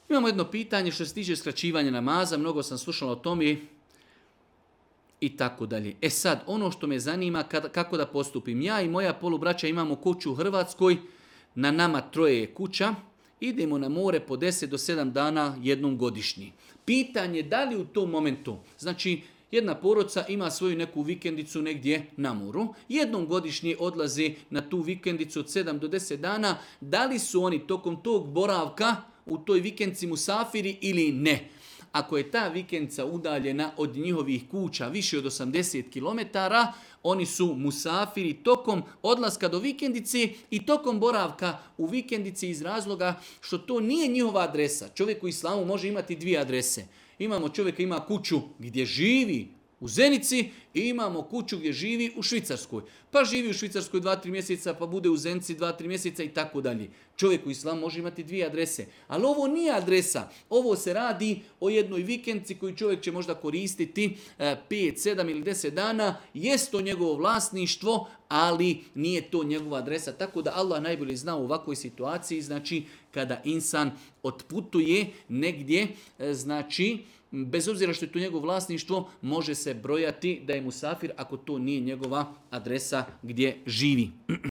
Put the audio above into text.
Imamo jedno pitanje što se tiče skraćivanja namaza, mnogo sam slušala o tome i tako dalje. E sad, ono što me zanima, kako da postupim. Ja i moja polubraća imamo kuću u Hrvatskoj, na nama troje je kuća, idemo na more po 10 do 7 dana jednom godišnji. Pitanje da li u tom momentu, znači jedna porodica ima svoju neku vikendicu negdje na moru, jednom godišnje odlazi na tu vikendicu od 7 do 10 dana, da li su oni tokom tog boravka u toj vikendici musafiri ili ne? Ako je ta vikendica udaljena od njihovih kuća više od 80 km, oni su musafiri tokom odlaska do vikendice i tokom boravka u vikendici iz razloga što to nije njihova adresa. Čovjek u islamu može imati dvije adrese. Imamo čovjeka ima kuću gdje živi u Zenici i imamo kuću gdje živi u Švicarskoj. Pa živi u Švicarskoj 2-3 mjeseca, pa bude u Zenici 2-3 mjeseca i tako dalje. Čovjek u islamu može imati dvije adrese. Ali ovo nije adresa. Ovo se radi o jednoj vikendici koju čovjek će možda koristiti 5, 7 ili 10 dana. Jest to njegovo vlasništvo, ali nije to njegova adresa. Tako da Allah najbolje zna u ovakvoj situaciji, znači kada insan otputuje negdje, znači bez obzira što je to njegovo vlasništvo, može se brojati da je musafir ako to nije njegova adresa gdje živi.